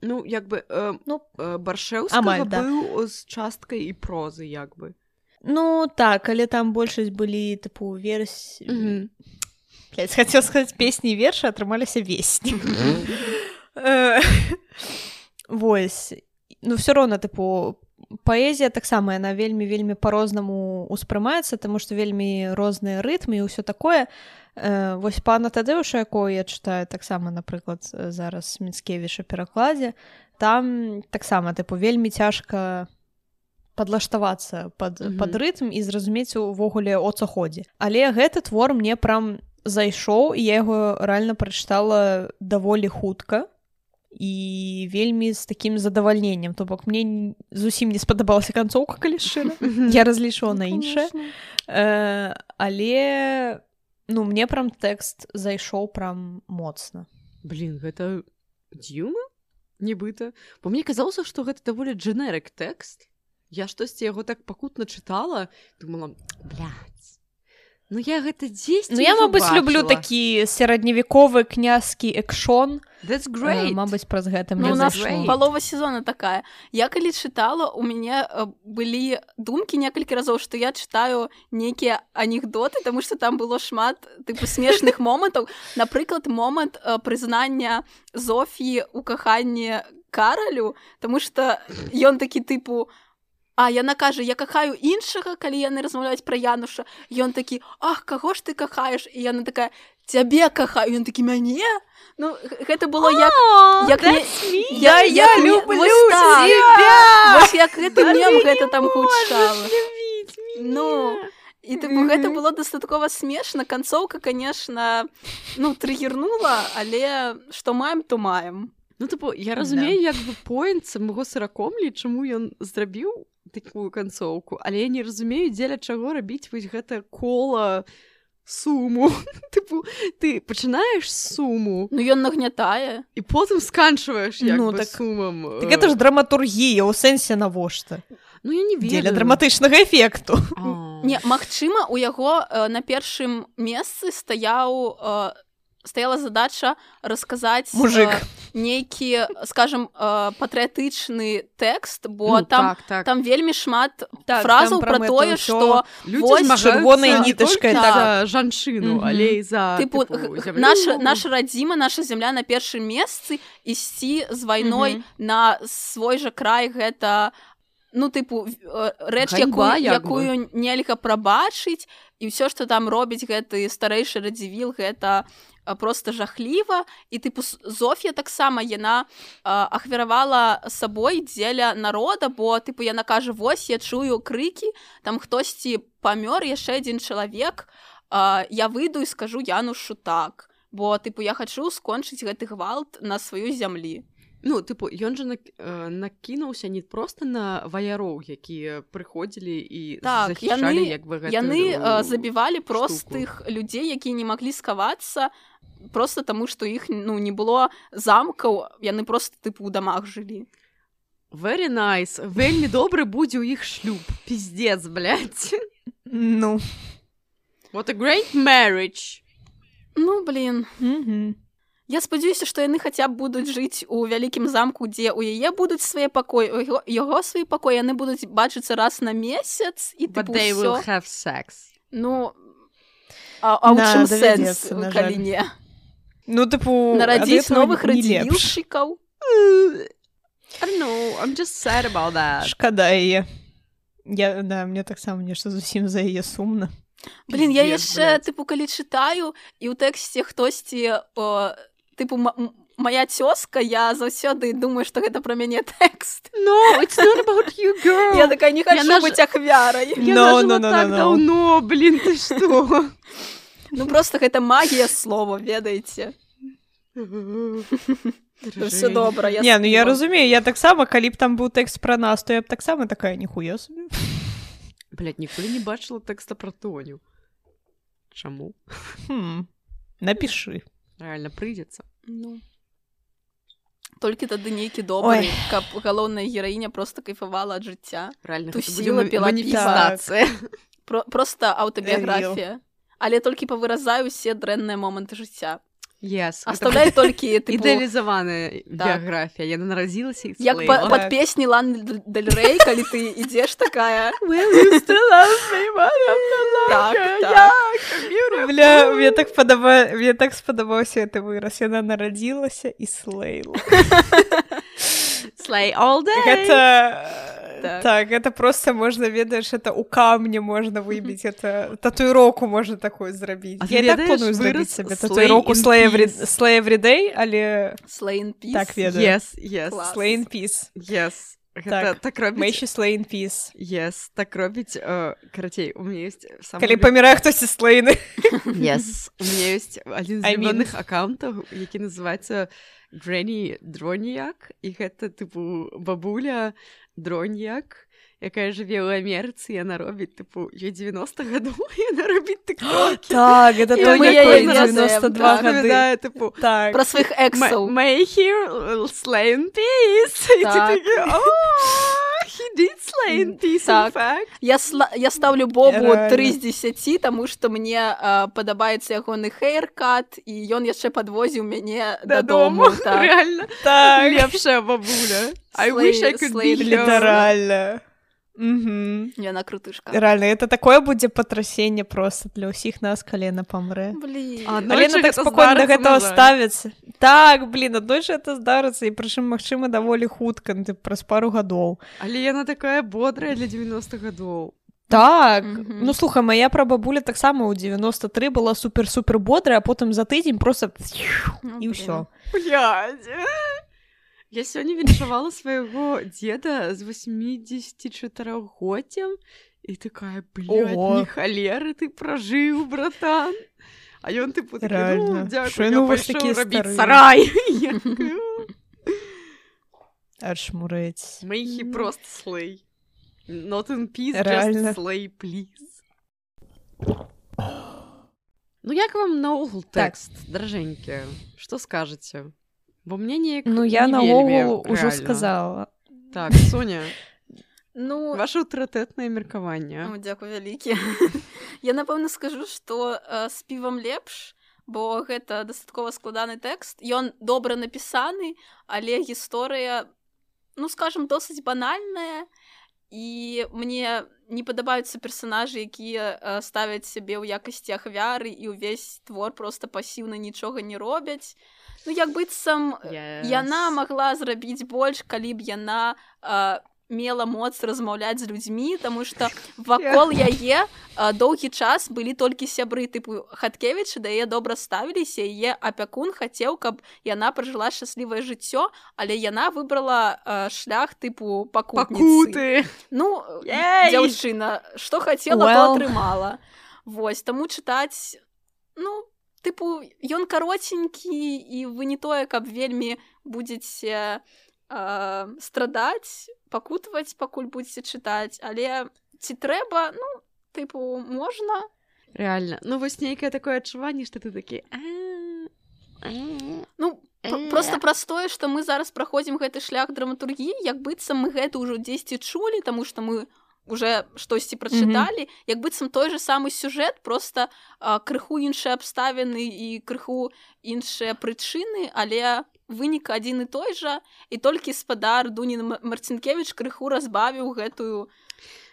Ну, як бы, э, ну, э, Баршэўскага амаль, да. быў з часткай і прозы, як бы. Ну, так, але там большасць былі, тыпу, версі... Mm-hmm. Блядь, хотел сказать песни и верши, атрымаліся весні. Вось. Ну, все роўна, тыпу, паэзія таксама, яна вельмі-вельмі па-рознаму ўспрымаецца, таму што вельмі розныя рытмы і ўсё такое. Вось пана Тадэуша, якого я чытаю таксама, напрыклад, зараз Міцкевіча перакладзе, там таксама, тыпу, вельмі цяжка падлаштавацца пад, mm-hmm. пад рытм і зразумець увогуле о ца ходзе. Але гэты твор мне прям зайшоў, і я яго рэальна прачытала даволі хутка і вельмі з такім задавальненнем. То бок мне зусім не спадабалася канцоўка, калі шчыра. Я разлічвала на іншае. Э, але ну мне прям тэкст зайшоў прям моцна. Блин, гэта дзіўна? Нібыта. Бо мне казалося, што гэта даволі дженерык тэкст. Я штосьці яго так пакутна чытала, думала, блядь, ну я гэта дзесьці ну я, мабыць, люблю такі сярэдневековы князькі экшон. That's great. Uh, мабыць, праз гэта мне ну, зайшло. Палова сезона такая. Я калі чытала, у мяне былі думкі некалькі разоў, што я чытаю нейкія анекдоты, таму што там было шмат тыпу смешных момантаў. Напрыклад, момант прызнання Зофіі ў каханні Каралю, таму што ён такі тыпу а яна кажа, я кахаю іншага, калі яны размаўляюць пра Януша. Ён такі, ах, каго ж ты кахаеш? І яна такая, цябе кахаю. Ён такі, мяне? Ну, гэта было як... як не... Я, я, я люблю тебя! Вось як гэты мем гэта там гучала. Ну, і тыпу, гэта было дастаткова смешна. Канцоўка, конечно, ну, трыгернула, але што маем, то маем. Ну, тыпу, я разумею, як бы поінт самого Сыракомлі, чаму ён зрабіў такую канцоўку, але я не разумею, дзеля чаго рабіць вось гэта кола суму. Тыпу, ты пачынаеш суму. Ну, ён нагнятае. І потым сканчваеш як ну, бы так, сумам. Так гэта ж драматургія, у сэнсе навошта. Ну, я не ведаю. Дзеля драматычнага эфекту. А Не, магчыма, у яго э, на першым месцы стаяў э, стаяла задача расказаць Мужик. Э, нейкі, скажем, э, патрыятычны тэкст, бо Ну, там, так, так. там вельмі шмат Так, фразаў там пра пра тое, гэта што Людзі вось змагаюцца чырвонай не нітачкай, толькі так. за жанчыну, Мгм. але і за тыпу, тыпу, г- зямлю. наша, наша радзіма, наша зямля на першым месцы, ісці з вайной Мгм. на свой жа край гэта ну тыпу э, рэч, Ганьба, якую, як бы. якую нельга прабачыць, і ўсё, што там робіць гэты старэйшы радзівіл, гэта а, просто жахліва. І тыпу С- Зофія таксама яна а, ахвяравала сабой дзеля народа, бо тыпу яна кажа: вось я чую крыкі, там хтосьці памёр, яшчэ адзін чалавек, а, я выйду і скажу Янушу так, бо тыпу я хачу скончыць гэты гвалт на сваю зямлі. Ну, тыпу, ён жа нак- э, накінуўся не проста на ваяроў, якія прыходзілі і Так, захішалі, яны- як бы, гэтую Яны э, забівалі штуку. простых людзей, якія не маглі схавацца просто таму, што іх ну не было замкаў, яны просто тыпу ў дамах жылі. Very nice. Вельмі добры будзе ў іх шлюб. Пиздец, блядь. Ну. What a great marriage. Ну блин, Мгм. я спадзяюся, што яны хаця б будуць жыць у вялікім замку, дзе ў яе будуць свае пакоі, у яго, яго свае пакоі, яны будуць бачыцца раз на месяц і But тыпу they will ўсё. have sex. Ну а, а ў Да, чым давядзецца, сэнс, на калі жаль. не? Ну, тыпу, Нарадзіць ад этого новых не лепш. радзівілшчыкаў? I don't know, I'm just sad about that. Шкада яе. Я, да, мне таксама нешта зусім за яе сумна. Блин, я Пиздец, яшчэ блядь. тыпу калі чытаю і ў тэксце хтосьці о, тыпу м- м- моя цёзка, я заўсёды думаю, што гэта пра мяне тэкст. No, it's not about you, girl. Я такая не хочу наж- быць ахвярай. Я No, нажила no, no, так no, no. давно, блин, ты что? Ну просто гэта магія слова, ведаеце. Все добра, я Не, ну я співа. разумею, я таксама, калі б там быў тэкст пра нас, то я б таксама такая, ніхуя собі. Блядь, ніколі не бачила тэкста пра Тоню. Чаму? Хм. Напішы. Реально прыйдзецца. Ну. Толькі тады нейкі добры, Ой. каб галоўная гераіня просто кайфавала ад жыцця. Реально, Тусіла, гэта будзе піла маніфестацыя. Про просто аўтабіяграфія. Але толькі павыразаю усе дрэнныя моманты жыцця. Yes. Аставляю толькі тыпу, Ідэалізаваная Так. біяграфія. Яна нарадзілася і як па, склеіла. пад песні Ланы Дель Рей, калі ты ідзеш такая. Will you still love me, Так, motherfucker? так. Yeah, Бля, мне так падаба... мне так спадабаўся гэты выраз. Яна нарадзілася і слэйла. Slay all day. Гэта... Так. Так, гэта просто можна, ведаеш, это у камне можна выбіць, это татуіроўку можна такую зрабіць. А Я ты і так ведаеш планую выраз зрабіць сабе slay татуіроўку in slay every... peace? slay every day, але Slay in peace. так ведаю. Yes, yes, Клас. Slay in peace. yes. Гэта Так, так May робіць. she slay in peace. Yes, так робіць. э, Карацей, у меня есть самый Калі люб- памірае хтосьці слэйны. Yes, у меня есть один з I mean. любимых аккаунтаў, які называецца Granny Дроньяк, і гэта тыпу бабуля Дроньяк, якая жыве ў Амерыцы, яна робіць тыпу ёй девяносто гадоў, і яна робіць тыктокі. Так, гэта І той, мы якой яе девяносто два так, гады. Распавядае, тыпу, Так. Пра сваіх эксаў. May he slay in peace. І ты Так. такі, о, he did slay in peace, in Так. fact. Я, сла... я ставлю Бобу Реально. тры з дзесяці, таму што мне а, падабаецца ягоны хейркат, і ён яшчэ падвозіў мяне дадому. Дадому, Так. реально. Так. Лепшая бабуля. I Slay- wish I could slay be her. Літаральна. Угу. Яна крутышка. Реально, это такое будзе патрасенне просто для ўсіх нас, калі яна памрэ. Блін. А, ну, Але Аднойчы яна так гэта спакойна да здарыцца, гэтага на жаль. ставіцца. Так, блін, аднойчы гэта здарыцца, і прычым, магчыма, даволі хутка, ну, тып, праз пару гадоў. Але яна такая бодрая для девяносто гадоў. Так, Мгм. ну слухай, моя прабабуля таксама ў девяносто тры была супер-супер бодрая, а потым за тыдзень просто Ну, і блін. ўсё. Блядь. Я сёння віншавала свайго деда з восьмидесятичатырохгоддзям і такая, блядь, Ого. не халеры ты пражыў, братан. А ён тыпу такі, Реально. ну, дзякуй, Што я яны ў вас пайшоў такія рабіць старыя? сарай. Я такая, «О». Аж мурэць. May he просто slay. Not in peace, Реально. just slay, please. Ну, як вам наогул Так. тэкст, дражэнькі? Што скажаце? Бо мне неяк Ну, я не наогул вельмі ужо рэальна. сказала. Так, Соня. Ну, ваше аўтарытэтнае меркаванне. О, дзякуй вялікі. Я, напэўна, скажу, што э, з півам лепш, бо гэта дастаткова складаны тэкст. Ён добра напісаны, але гісторыя, ну, скажам, досыць банальная, і мне не падабаюцца персанажы, якія э, ставяць сябе ў якасці ахвяры, і ўвесь твор проста пасіўна нічога не робяць. Ну, як быццам, Yes. яна магла зрабіць больш, калі б яна э, мела моц размаўляць з людзьмі, таму што вакол яе а, доўгі час былі толькі сябры тыпу Хаткевіча, да яе добра ставіліся, яе апякун хацеў, каб яна пражыла шчаслівае жыццё, але яна выбрала а, шлях тыпу пакутніцы. Пакуты! Ну, Ей! дзяўчына, што хацела, Well. то атрымала. Вось, таму чытаць, ну, тыпу, ён каротенькі, і вы не тое, каб вельмі будзеце Uh, страдаць, пакутаваць, пакуль будзеце чытаць, але ці трэба, ну, тыпу, можна. Реально. Ну, вось нейкае такое адчуванне, што ты такі... Ну, просто праз тое, што мы зараз праходзім гэты шлях драматургіі, як быццам мы гэта ўжо дзесьці чулі, таму што мы уже штосьці прачыталі, mm-hmm. як быццам той же самы сюжэт, просто а, крыху іншыя абставіны і крыху іншыя прычыны, але вынік адзін і той жа, і толькі спадар Дунін Марцінкевіч крыху разбавіў гэтую...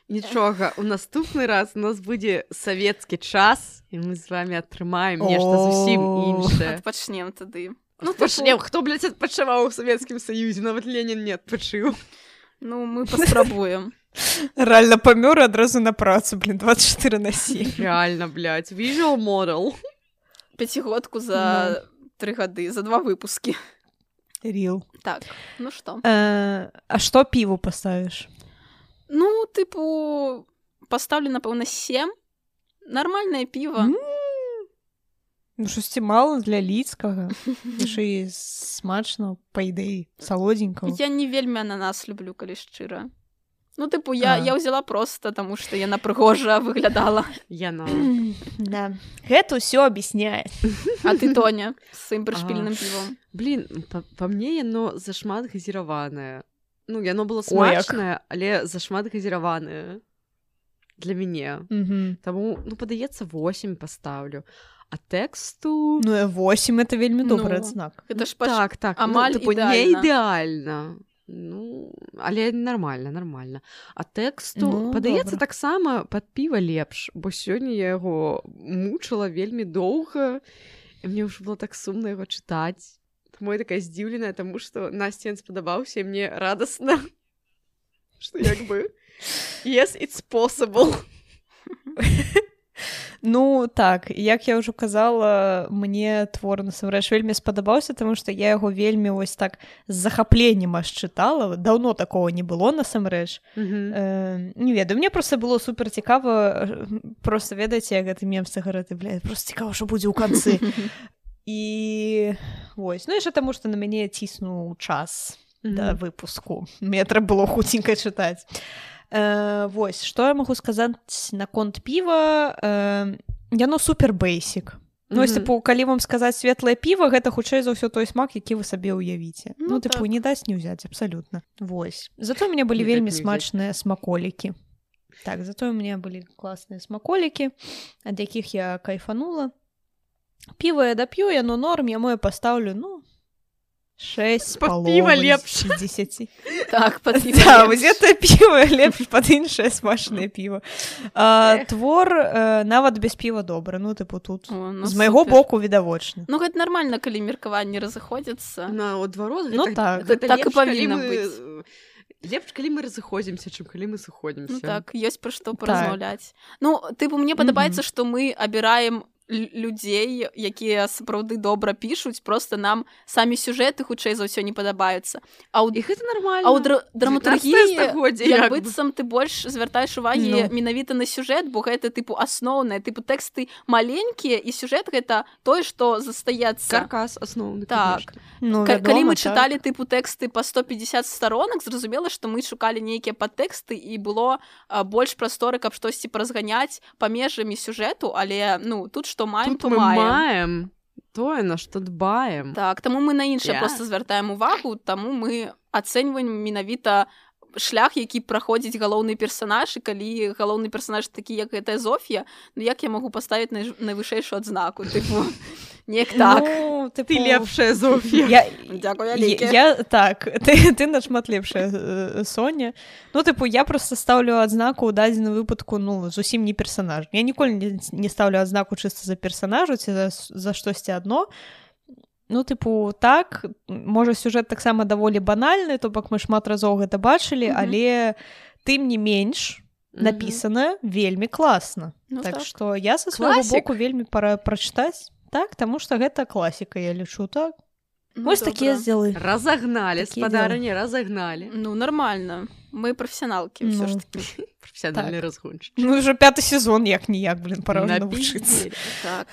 Нічога, у наступны раз у нас будзе савецкі час, і мы з вами атрымаем нешта зусім іншае. Адпачнем тады. Ну, пачнем. Хто, блядь, адпачываў у Савецкім Саюзе? Нават Ленін не адпачыў. Ну, мы паспрабуем. Рэальна памёр адразу на працу, блин, двадцать четыре на семь. Реально, блядь, visual model. Пяцігодку за тры гады, за два выпускі. Рил. Так, ну што? Э, а што піву паставіш? Ну, тыпу, паставлю, напэўна, сем. Нармальнае піва. Mm. Ну, шосці мала для лідскага. Яшчэ і смачна, па ідэі, салодзенькага. Я не вельмі ананас люблю, калі шчыра. Ну, тыпу, я, я ўзяла проста, таму што яна прыгожа выглядала. Яна. Да. Гэта ўсё аб'ясняе. А ты, Тоня, з сваім прышпільным півом? Блин, па, па мне яно зашмат газіраванае. Ну, яно было смачнае, але зашмат газіраванае. Для мяне. Mm-hmm. Таму, ну, падаецца, восемь паставлю. А тэксту... Ну, восемь — это вельмі добры ну, адзнак. Гэта ж паш... Так, так. амаль ну, типу, ідэальна. Не ідэальна. Ну, але нормально, нормально. А тэксту, ну, падаецца, таксама пад піва лепш, бо сёння я яго мучыла вельмі доўга, і мне ўжо было так сумна яго чытаць. Таму я такая здзіўленая, таму што Насце ён спадабаўся, і мне радасна, што як бы yes, it's possible. Ну, так, як я ўжо казала, мне твор насамрэч вельмі спадабаўся, таму што я яго вельмі вось так з захапленнем аж чытала. Даўно такого не было насамрэч. Mm-hmm. Э, не ведаю, мне проста было супер цікава, проста ведаеце, як гэты мем з цыгарэты, бля, проста цікава, што будзе ў канцы. І вось, ну яшчэ таму, што на мяне ціснуў час mm-hmm. да выпуску. Мне трэба было хуценька чытаць. Э, вось, што я магу сказаць наконт піва? Э, яно супер бейсік. Ну, mm-hmm. типу, калі вам сказаць светлае піва, гэта хутчэй за ўсё той смак, які вы сабе ўявіце. Ну, ну типу, так. Не даць не ўзяць, абсалютна. Вось. Зато у мяне былі не вельмі смачныя смаколікі. Так, зато у мяне былі класныя смаколікі, ад якіх я кайфанула. Піва я дап'ю, яно норм, яму я пастаўлю, ну, шесть з паловай з дзесяці. Так, пад піва да, лепш. Гэта піва лепш пад іншае смачнае піва. А, твор а, нават без піва добра. Ну, тыпу, тут О, ну, з майго супер. боку відавочна. Ну, гэта нармальна, калі меркаванні разыходзяцца. Наадварот, ну, так. Гэта так і павінна мы... быць. Лепш, калі мы разыходзімся, чым калі мы сыходзімся. Ну, так, ёсць пра што паразмаўляць. Так. Ну, тыпу, мне падабаецца, што mm-hmm. мы абіраем людзей, якія сапраўды добра пішуць, просто нам самі сюжэты хутчэй за ўсё не падабаюцца. А ў... І гэта нармальна. А ў дра... драматургіі, як бы. быццам ты больш звяртаеш увагі no. менавіта на сюжэт, бо гэта, тыпу, асноўнае. Тыпу, тэксты маленькія, і сюжэт гэта тое, што застаецца. Каркас асноўны. Так. Ну, К- вядома, калі мы так. чыталі, тыпу, тэксты па сто пятьдесят сторонак, зразумела, што мы шукалі нейкія падтэксты, і было а, больш прасторы, каб штосьці паразганяць памежамі сюжэту, але, ну, тут што маем, тут то маем. маем тое, на што дбаем. Так, таму мы на іншае yeah. проста звяртаем увагу, таму мы ацэньваем менавіта шлях, які праходзіць галоўны персанаж, і калі галоўны персанаж такі, як гэтая Зофія, ну як я магу паставіць най... найвышэйшую адзнаку, тыпу, неяк так. Ну, тыпу... Ты лепшая, Зофія. Я... Дзякуй вялікі. Я, так, ты, ты нашмат лепшая, Соня. Ну, тыпу, я просто ставлю адзнаку ў дадзеным выпадку, ну, зусім не персанаж. Я ніколі не, не ставлю адзнаку чыста за персанажу ці за, за штосьці адно. Ну, тыпу, так, можа, сюжэт таксама даволі банальны, то бок мы шмат разоў гэта бачылі, mm-hmm. але тым не менш напісана mm-hmm. вельмі класна. Ну, так, так што я са свайго боку вельмі пара прачытаць. Так, таму што гэта класіка, я лічу, так. Ну, вось такія здзелы. Разагналі, спадарыні, разагналі. Ну, нормально. Мы прафесіяналкі, ну, ўсё ж такі. Прафесіянальны так. разгончык. Ну, ўжо пяты сезон, як-ніяк, блин, пора навучыцца. Так.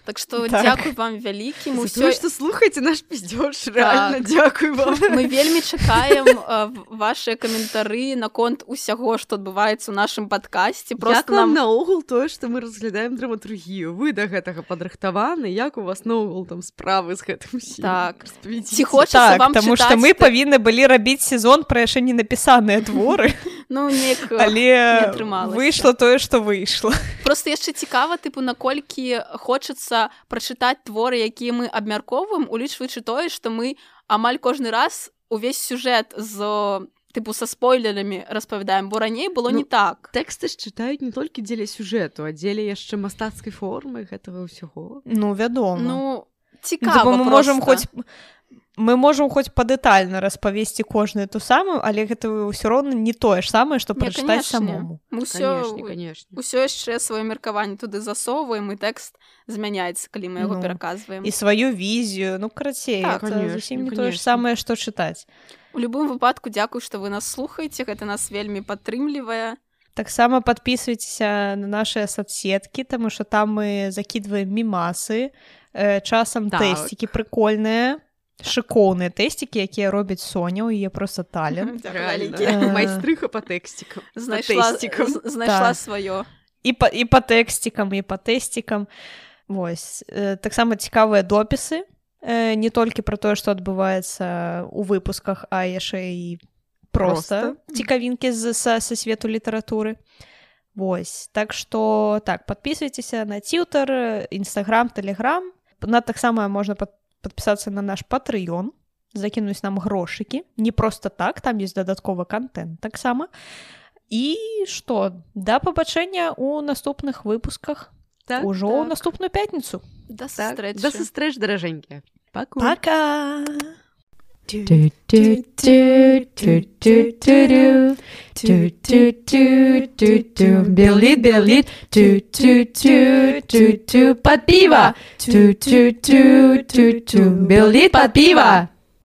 Так што так. Дзякуй вам вялікі. За ўсё... тое, што слухаеце наш пиздёж, рэальна, так. Дзякуй вам. Мы вельмі чакаем uh, вашыя каментары наконт усяго, што адбываецца ў нашым падкасці. Як нам наогул тое, што мы разглядаем драматургію? Вы да гэтага падрыхтаваны? Як у вас наогул там справы з гэтым усім? Так. Ці хочацца так, вам таму чытаць... што мы павінны былі рабіць сезон пра яшчэ не напісаныя творы. Ну, неяк але выйшла тое, што выйшла. Просто яшчэ цікава, тыпу, наколькі хочацца прачытаць творы, якія мы абмяркоўваем, улічваючы тое, што мы амаль кожны раз увесь сюжэт з тыпу са спойлерамі распавядаем, бо раней было ну, не так. Тэксты ж чытаюць не толькі дзеля сюжэту, а дзеля яшчэ мастацкай формы гэтага ўсяго. Ну, вядома. Ну, цікава мы можам хоць мы можам хоць падэтальна распавесці кожную ту самую, але гэта ўсё роўна не тое ж самае, што прачытаць самому. Мы ўсё, ўсё яшчэ сваё меркаванне туды засоўваем, і тэкст змяняецца, калі мы яго ну, пераказваем. І сваю візію, ну, карацей, так, гэта зусім не тое ж самае, што чытаць. У любым выпадку дзякуй, што вы нас слухаеце, гэта нас вельмі падтрымлівае. Таксама падпісвайцеся на нашыя соцсеткі, таму што там мы закідваем мімасы, э, часам так. тэсцікі прыкольныя, шыкоўныя тэсцікі, якія робяць Соня, у яе проста талент. Майстрыха па тэксцікам. Знайшла сваё. І па, і па тэксцікам, і па тэсцікам. Вось. Таксама цікавыя допісы, не толькі пра тое, што адбываецца ў выпусках, а яшчэ і проста цікавінкі з, са, са свету літаратуры. Вось. Так што, так, падпісвайцеся на Twitter, Instagram, Telegram. На таксама можна падпісвацца подписаться на наш Patreon, закинуть нам грошики. Не просто так, там есть додатковый контент так само. И что? До побачення у наступных выпусках. Так, Уже так. у наступную пятницу. До сустрэчы. До сустрэч, даражэнькія. Пока. Пока. Белит, белит, под пиво. Белит под пиво.